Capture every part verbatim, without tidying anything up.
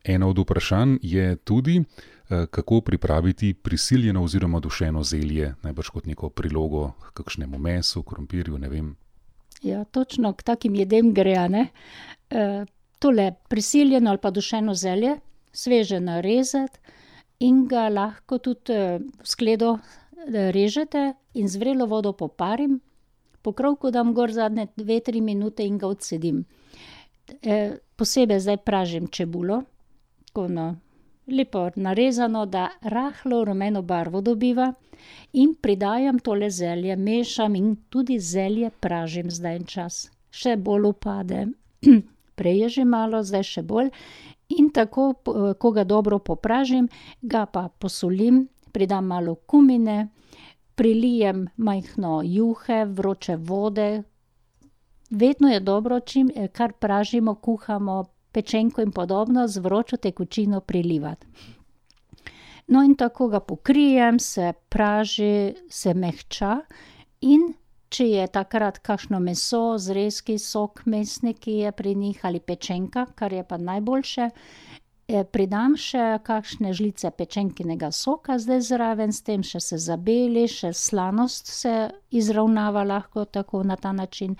Eno od vprašanj je tudi, kako pripraviti prisiljeno oziroma dušeno zelje, najbrž kot neko prilogo k kakšnemu mesu, krompirju, ne vem. Ja, točno k takim jedem gre, a ne. E, tole prisiljeno ali pa dušeno zelje, sveže narezati in ga lahko tudi v skledo režete in z vrelo vodo poparim, pokrovko dam gor zadnje dve, tri minute in ga odcedim. E, posebej zdaj pražim čebulo, tako no, lepo narezano, da rahlo rumeno barvo dobiva in pridajam tole zelje, mešam in tudi zelje pražim zdaj en čas. Še bolj upade. Prej je že malo, zdaj še bolj. In tako, ko ga dobro popražim, ga pa posolim, pridam malo kumine, prilijem majhno juhe, vroče vode. Vedno je dobro, čim, kar pražimo, kuhamo, pečenko in podobno, z vročo tekočino prilivati. No, in tako ga pokrijem, se praži, se mehča in če je takrat kakšno meso, zrezki, sok mesni, ki je pri njih, ali pečenka, kar je pa najboljše, pridam še kakšne žlice pečenkinega soka zdaj zraven, s tem še se zabeli, še slanost se izravnava lahko tako na ta način.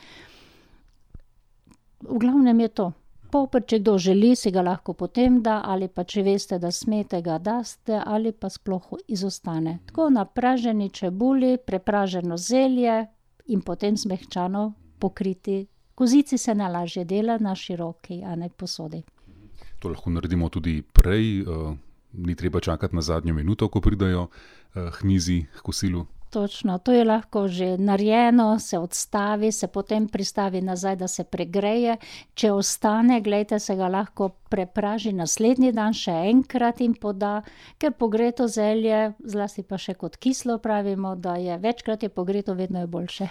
V glavnem je to. Poper, če kdo želi, si ga lahko potem da, ali pa če veste, da smete, ga daste, ali pa sploh izostane. Tako na praženi čebuli, prepraženo zelje in potem zmehčano pokriti. Kozici se najlažje dela na široki, a ne posodi. To lahko naredimo tudi prej, ni treba čakati na zadnjo minuto, ko pridajo hmizi h kosilu. Točno, to je lahko že narejeno, se odstavi, se potem pristavi nazaj, da se pregreje. Če ostane, glejte, se ga lahko prepraži naslednji dan še enkrat in poda, ker pogreto zelje, zlasti pa še kot kislo pravimo, da je večkrat je pogreto, vedno je boljše.